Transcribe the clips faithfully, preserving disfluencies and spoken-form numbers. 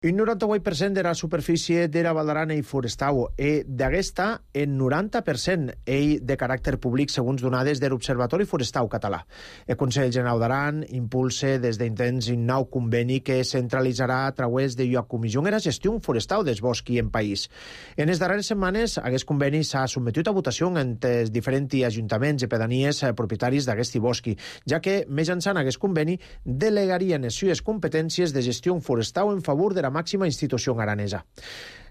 Un noranta-vuit per cent de la superfície d'era Valdaran i Forestau e d'aguesta en noranta per cent ei de caràcter públic segons donades de l'Observatori Forestau Català. El Consell Generau d'Aran impulsa des d'intents un nou conveni que centralitzarà a través de la Comissió de Gestió Forestal del Bosc en país. En les darreres setmanes, aquest conveni s'ha sotmetut a votació entre els diferents ajuntaments i pedanies propietaris d'aquest bosc, ja que mitjançant aquest conveni delegarien les seves competències de gestió forestal en favor de la màxima institució aranesa.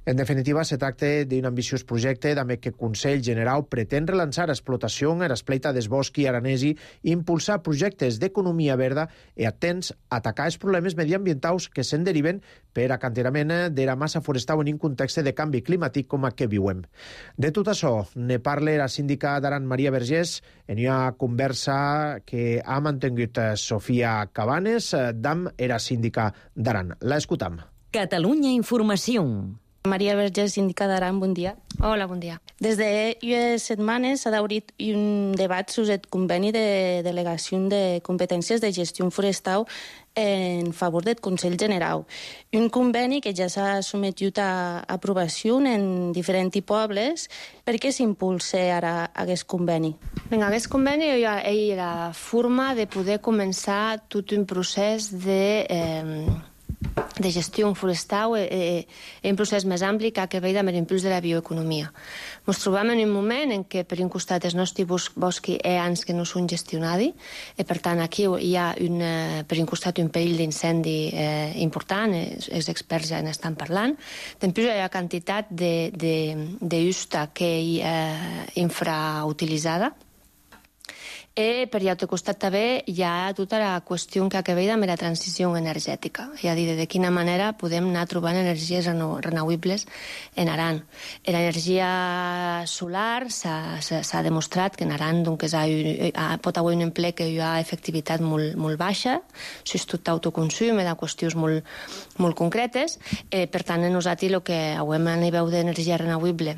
En definitiva, se tracta d'un ambiciós projecte amb què el Consell Generau pretén relançar l'explotació a l'espleita del bosc aranesi i impulsar projectes d'economia verda i atents a atacar els problemes mediambientals que se'n deriven per acanterament de la massa forestal en un context de canvi climàtic com el que viuem. De tot això ne parla la síndica d'Aran, Maria Vergés, en una conversa que ha mantingut Sofia Cabanes, d'Am era síndica d'Aran. La escutam. Catalunya Informació. Maria Vergés, síndica d'Aran, bon dia. Hola, bon dia. Des de unes setmanes s'ha d'obrir un debat sobre el conveni de delegació de competències de gestió forestal en favor del Consell Generau. Un conveni que ja s'ha sotmetut a aprovació en diferents pobles. Per què s'impulsa ara aquest conveni? Vinga, aquest conveni ja és la forma de poder començar tot un procés de... Eh, de gestió forestal és un procés més ampli que ha que veure amb l'impuls de la bioeconomia. Ens trobem en un moment en què, per un costat, els nostres boscs eans que no són gestionats, i per tant aquí hi ha, un, per un costat, un perill d'incendi eh, important, els experts ja n'estan parlant. Després hi ha quantitat d'usta que hi eh, infrautilitzada, i per l'altre costat també hi ha tota la qüestió que ha a veure amb la transició energètica, és a dir, de quina manera podem anar trobant energies renovables en Aran. L'energia solar s'ha demostrat que en Aran doncs, pot haver un emplec que hi ha efectivitat molt, molt baixa, substitut autoconsum, hi ha qüestions molt, molt concretes. Eh, per tant, nosaltres el que hem a nivell d'energia renovable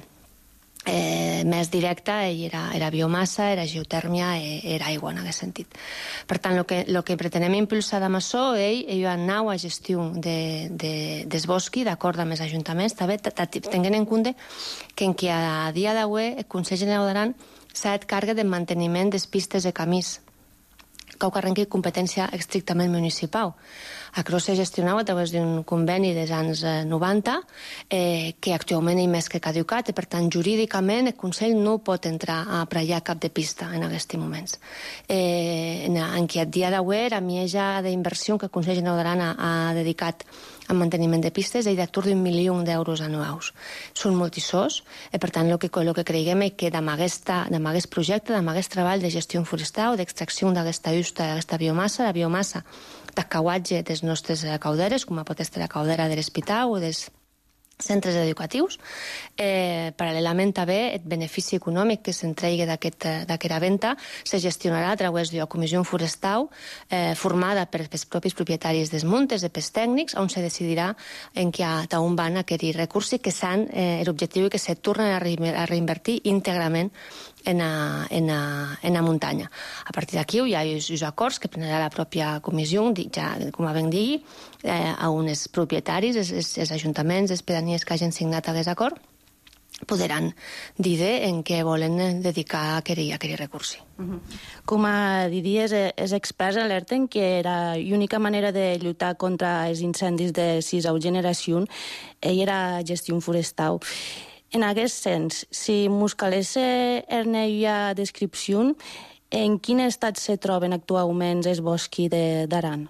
Eh, més directa era, era biomassa, era geotèrmia, era aigua en aquest sentit. Per tant, el que, lo que pretenem impulsar amb això és una nova gestió de, de, des boscs, d'acord amb els ajuntaments, també tenint en compte que en què a dia d'avui el Consell Generau d'Aran s'ha de càrrega de manteniment des pistes de camins, que arrenqui competència estrictament municipal. Això s'ha gestionat a través d'un conveni dels anys noranta, eh, que actualment és més que caducat, i per tant, jurídicament, el Consell no pot entrar a pregar cap de pista en aquests moments. Eh, en, en què a dia d'avui la mitja d'inversió que el Consell Generau d'Aran ha, ha dedicat al manteniment de pistes és d'actor d'un milió d'euros anuals. Són moltíssims, i per tant, el que, el que creiem és que amb aquest projecte, amb aquest treball de gestió forestal, d'extracció d'aquesta usta, d'aquesta biomassa, la biomassa d'acauatge dels nostres cauderes, com pot ser la caudera de l'hospital o dels centres educatius. Eh, paral·lelament també el benefici econòmic que s'entregui d'aquesta venda se gestionarà a través de la Comissió Forestal eh, formada per els propis propietaris dels muntes, de pels tècnics, on se decidirà en què on van aquells recursos que s'han, eh, l'objectiu és que se tornen a, re a reinvertir íntegrament en la, en, la, en la muntanya. A partir d'aquí hi ha els acords que prendrà la pròpia comissió, ja, com vam dir, eh, on els propietaris, els, els ajuntaments, les pedanies que hagin signat aquest acord, podran dir en què volen dedicar aquell recurs. Com a diries, els experts alerten que la única manera de lluitar contra els incendis de sisena generació era gestió forestal. En aquest sens, si mos calés una descripció, en quin estat se troben actualment els boscs d'Aran?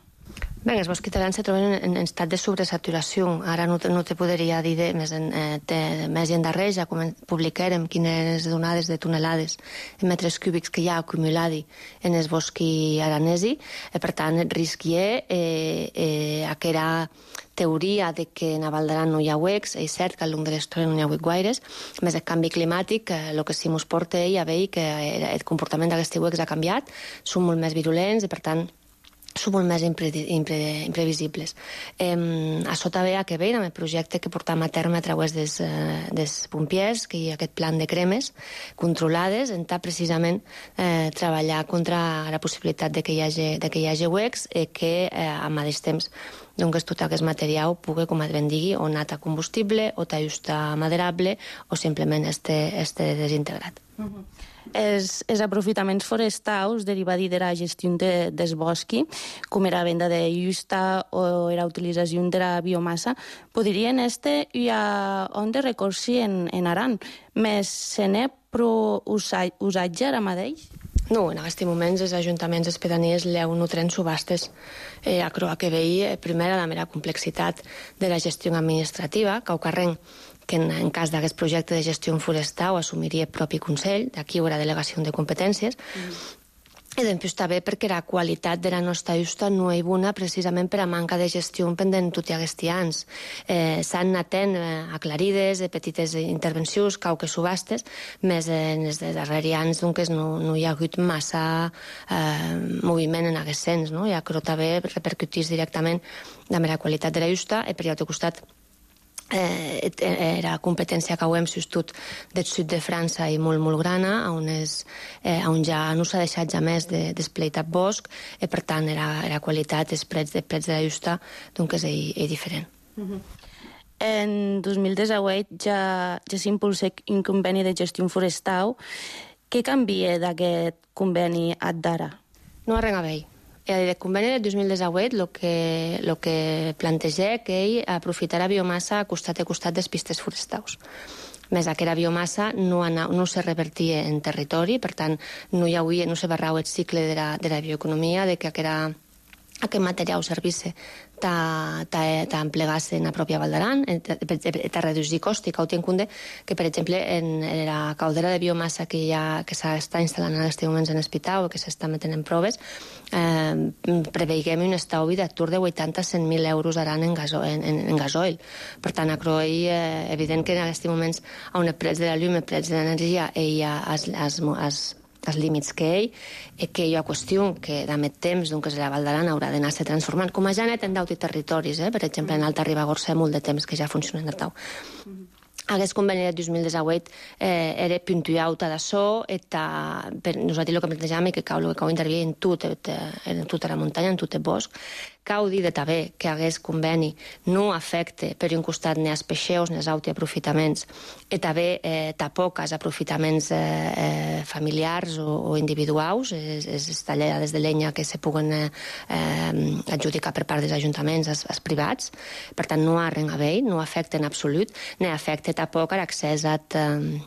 Bé, els boscs d'Aran se troben en, en estat de sobresaturació. Ara no te, no te podria dir de, més, en, eh, més endarrere, ja com publicarem quines donades de tonelades en metres cúbics que hi ha acumulats en els boscs aranesi. Eh, per tant, el risc hi ha eh, eh, aquella teoria de que a Val d'Aran no hi ha huecs, és cert que al llarg de la història no hi ha huecs gaires, més el canvi climàtic, el que sí ens porta a veure que el comportament d'aquests huecs ha canviat, són molt més virulents i per tant són molt més impre, impre, imprevisibles. Eh, a sota ve a que ve amb el projecte que portam a terme a través dels, eh, dels pompiers, que hi ha aquest plan de cremes controlades, en tant precisament eh, treballar contra la possibilitat de que hi hagi, de que hi hagi huecs i que eh, al mateix temps doncs tot aquest material pugui, com et ben digui, o anar a combustible, o t'ajustar maderable, o simplement este, este desintegrat. Uh-huh. Els, els aprofitaments forestals derivats de la gestió de, del bosc, com era venda de justa o la utilització de la biomassa, podrien este i a on de recorsi en, en Aran. Més se n'è pro usatge ara mateix? No, en aquests moments els ajuntaments i les pedanies l'heu nutren subhastes. Eh, a Croa que veia, primera, la mera complexitat de la gestió administrativa, que ho carreng que en, en cas d'aquest projecte de gestió forestal assumiria el propi Consell, d'aquí hi haurà delegació de competències, mm. i després també perquè la qualitat de la nostra justa no és bona precisament per a manca de gestió pendent tots aquests anys. Eh, S'han atent eh, aclarides, eh, petites intervencions, cauques subhastes, més en els darrers anys doncs, no, no hi ha hagut massa eh, moviment en aquest sens, no? I a Croa també repercutís directament amb la qualitat de la justa i per l'altre costat Eh, era competència que ho hem sostut del sud de França i molt, molt grana, on, és, eh, on ja no s'ha deixat ja més de despleitat bosc, i per tant era, era qualitat, els prets de, prets de la justa, doncs és, és diferent. Uh-huh. En dos mil disset ja, ja s'impulsa un conveni de gestió forestal. Què canvia d'aquest conveni d'ara? No ha res a veure. El conveni del dos mil disset el que, lo que planteja que ell aprofitarà biomassa a costat a costat des pistes forestals. Més aquella biomassa no, anà, no se revertia en territori, per tant, no hi havia, no se barrava el cicle de la, de la bioeconomia, de que aquella, aquest material servisse t'emplegats en la pròpia Val d'Aran, t'ha reduït cost, i cal tenir en compte que, per exemple, en la caldera de biomassa que, ha, que s'està instal·lant en aquests moments en l'hospital o que s'està metent en proves, eh, preveiguem un estalvi d'actor de vuitanta a cent mil euros Aran en, gaso, en, en, en gasoil. Per tant, a Croa, eh, evident que en aquests moments, on el preu de la llum, el preu de l'energia, hi ha els, els, els els límits que ell, i que hi ha qüestió que d'amet temps doncs, la Val d'Aran haurà d'anar-se transformant, com a ja net en d'altres territoris, eh? Per exemple, en Alta Ribagorça molt de temps que ja funcionen de tau. Aquest conveni del dos mil disset eh, era puntual d'açò, per nosaltres el que plantejàvem és que cal, cal intervenir en tot, en tota la muntanya, en tot el bosc. Cal dir de també que aquest conveni no afecta per un costat ni els peixeus ni els autoaprofitaments, i també eh, tampoc els aprofitaments eh, eh, familiars o, o individuals, les, les tallades de llenya que se puguen eh, eh, adjudicar per part dels ajuntaments als, als privats. Per tant, no ha res a veure, no afecta en absolut, ni afecta tampoc l'accés a eh,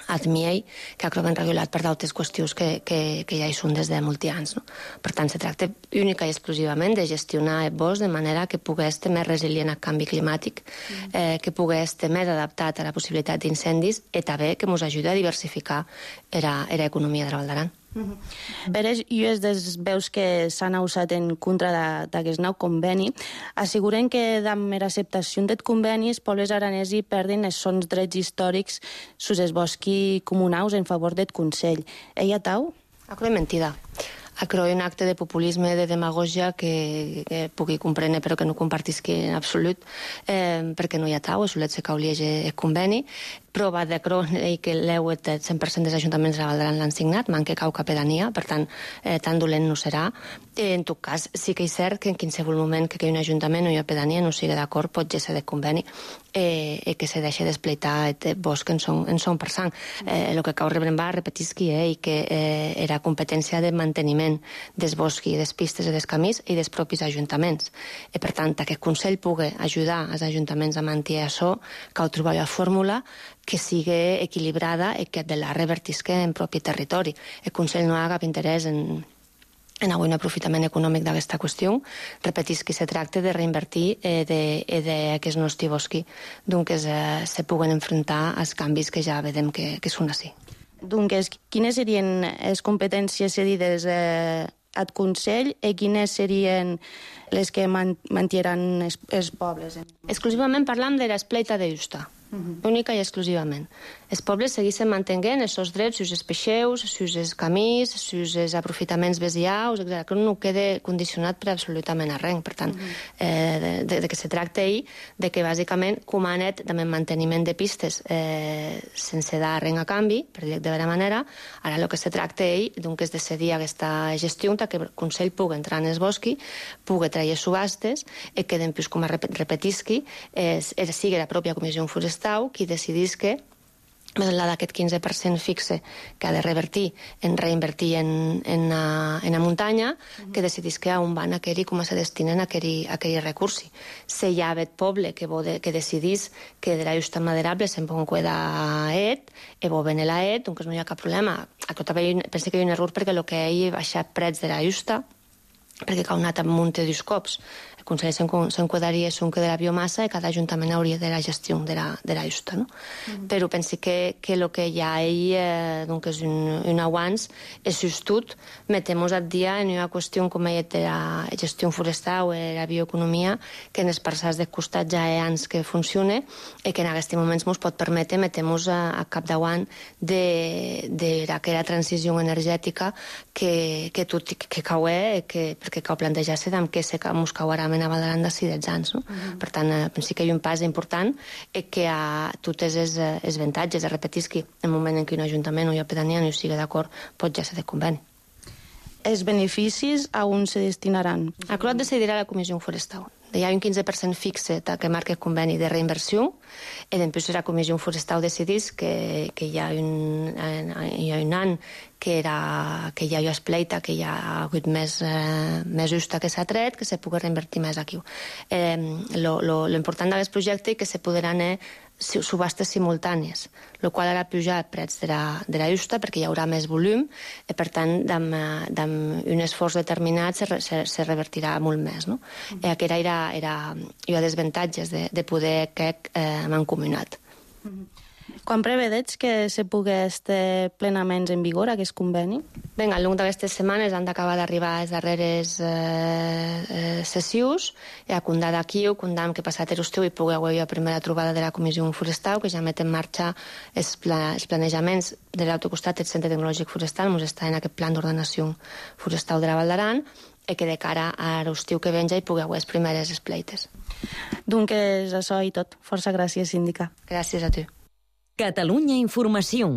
admiei, que ha ben regulat per d'altres qüestions que, que, que ja hi són des de molts anys. No? Per tant, se tracta única i exclusivament de gestionar el bosc de manera que pugui estar més resilient al canvi climàtic, mm. eh, que pugui estar més adaptat a la possibilitat d'incendis, i també que ens ajuda a diversificar l'economia de la Val d'Aran. Mm-hmm. Veres llues dels veus que s'han usat en contra d'aquest nou conveni asseguren que amb l'acceptació del conveni els pobles aranesi perden els sons drets històrics sus els boscs comunals en favor del Consell. Ella tau? Això és mentida. Això és un acte de populisme, de demagogia que, que pugui comprendre però que no compartisqui en absolut, eh, perquè no hi ha tau, és solet se cau liege el conveni. Prova de Croa i que l'E U E el cent per cent dels ajuntaments de la Val d'Aran l'han signat, manca cau pedania, per tant, eh, tan dolent no serà. Eh, en tot cas, sí que és cert que en qualsevol moment que, que un ajuntament o una pedania no sigui d'acord pot ja ser de conveni eh, i que se deixi despleitar el bosc en son, en son per sang. Eh, el que cau rebrembar, repetisqui, eh, i que eh, era competència de manteniment dels boscs i des pistes i des camins i dels propis ajuntaments. I per tant, que el Consell pugui ajudar els ajuntaments a mantenir això, cal trobar la fórmula que sigui equilibrada i que de la revertisca en propi territori. El Consell no ha cap interès en, en un aprofitament econòmic d'aquesta qüestió. Repetís que se tracta de reinvertir eh, de, de aquest nostre bosc, doncs eh, se puguen enfrontar als canvis que ja vedem que, que són així. Doncs quines serien les competències cedides eh, al Consell i quines serien les que man mantieran els, els pobles? Exclusivament parlam de l'espleita de justa. Uh-huh. Única i exclusivament. els pobles segueixen mantenint els seus drets, sus els peixeus, sus els camins, sus els aprofitaments besiaus, etcètera, que no quede condicionat per absolutament a res. Per tant, eh, de, de, de que se tracta ahir de que, bàsicament, comanet de manteniment de pistes eh, sense dar res a canvi, per dir-ho de vera manera. Ara el que se tracta ahir, doncs, és de cedir aquesta gestió, que el Consell pugui entrar en el bosc, pugui traure subhastes, i que, després, com a repetisqui, eh, sigui la pròpia Comissió Forestal qui decidís que més enllà d'aquest quinze per cent fixe que ha de revertir en reinvertir en, en, a, en la muntanya, uh-huh. que decidís que a on van aquells com se destinen aquells aquell recursos. Si hi ha aquest poble que, de, que decidís que de la justa maderable se'n pon queda et, e bo ben la et, doncs no hi ha cap problema. A tot penso que hi ha un error perquè el que hi ha baixat prets de la justa, perquè ha anat amb munt dos cops. El Consell s'enquadraria un que de la biomassa i cada ajuntament hauria de la gestió de la, de la justa, no? Mm-hmm. Però penso que, que el que hi ha ahí eh, donc és un, un avanç, és justut, metem-nos al dia en una qüestió com he dit de la gestió forestal o la bioeconomia, que en els parçals de costat ja hi ha anys que funciona i que en aquests moments ens pot permetre metem-nos a, a capdavant de, de aquella transició energètica que, que tot que cau eh, que, perquè cau plantejar-se amb què se mos cauarà a Valdaran de sis anys. No? Uh-huh. Per tant, eh, penso que hi ha un pas important i que ha totes els, els avantatges de repetir que en el moment en què un ajuntament o una pedania no hi sigui d'acord, pot ja ser de conveni. Els beneficis a on se destinaran? Aquest decidirà la Comissió Forestal. Hi ha un quinze per cent fixe que marca el conveni de reinversió i després la Comissió Forestal decidís que, que hi, ha un, hi ha un any que, era, que hi ha una espleita que hi ha hagut més, eh, més justa que s'ha tret, que se pugui reinvertir més aquí. Eh, lo, lo, lo important d'aquest projecte és que se podran eh, subhastes simultànies, el qual harà pujar els preus de la, de la justa perquè hi haurà més volum i, per tant, amb un esforç determinat se, se, se revertirà molt més. No? Mm. I aquest era, era, hi ha desavantatges de, de poder aquest eh, mancomunat. Mm. Quan prevedets que se pugui estar plenament en vigor aquest conveni? Bé, al llarg d'aquestes setmanes han d'acabar d'arribar les darreres eh, eh, sessions i a condar d'aquí o condam que passat l'estiu i pugui haver la primera trobada de la Comissió Forestal, que ja met en marxa els, pla, els planejaments de l'altre costat del Centre Tecnològic Forestal, ens està en aquest plan d'ordenació forestal de la Val d'Aran, i que de cara a l'estiu que ven ja hi pugui haver les primeres espleites. Doncs és això i tot. Força gràcies, síndica. Gràcies a tu. Catalunya Informació.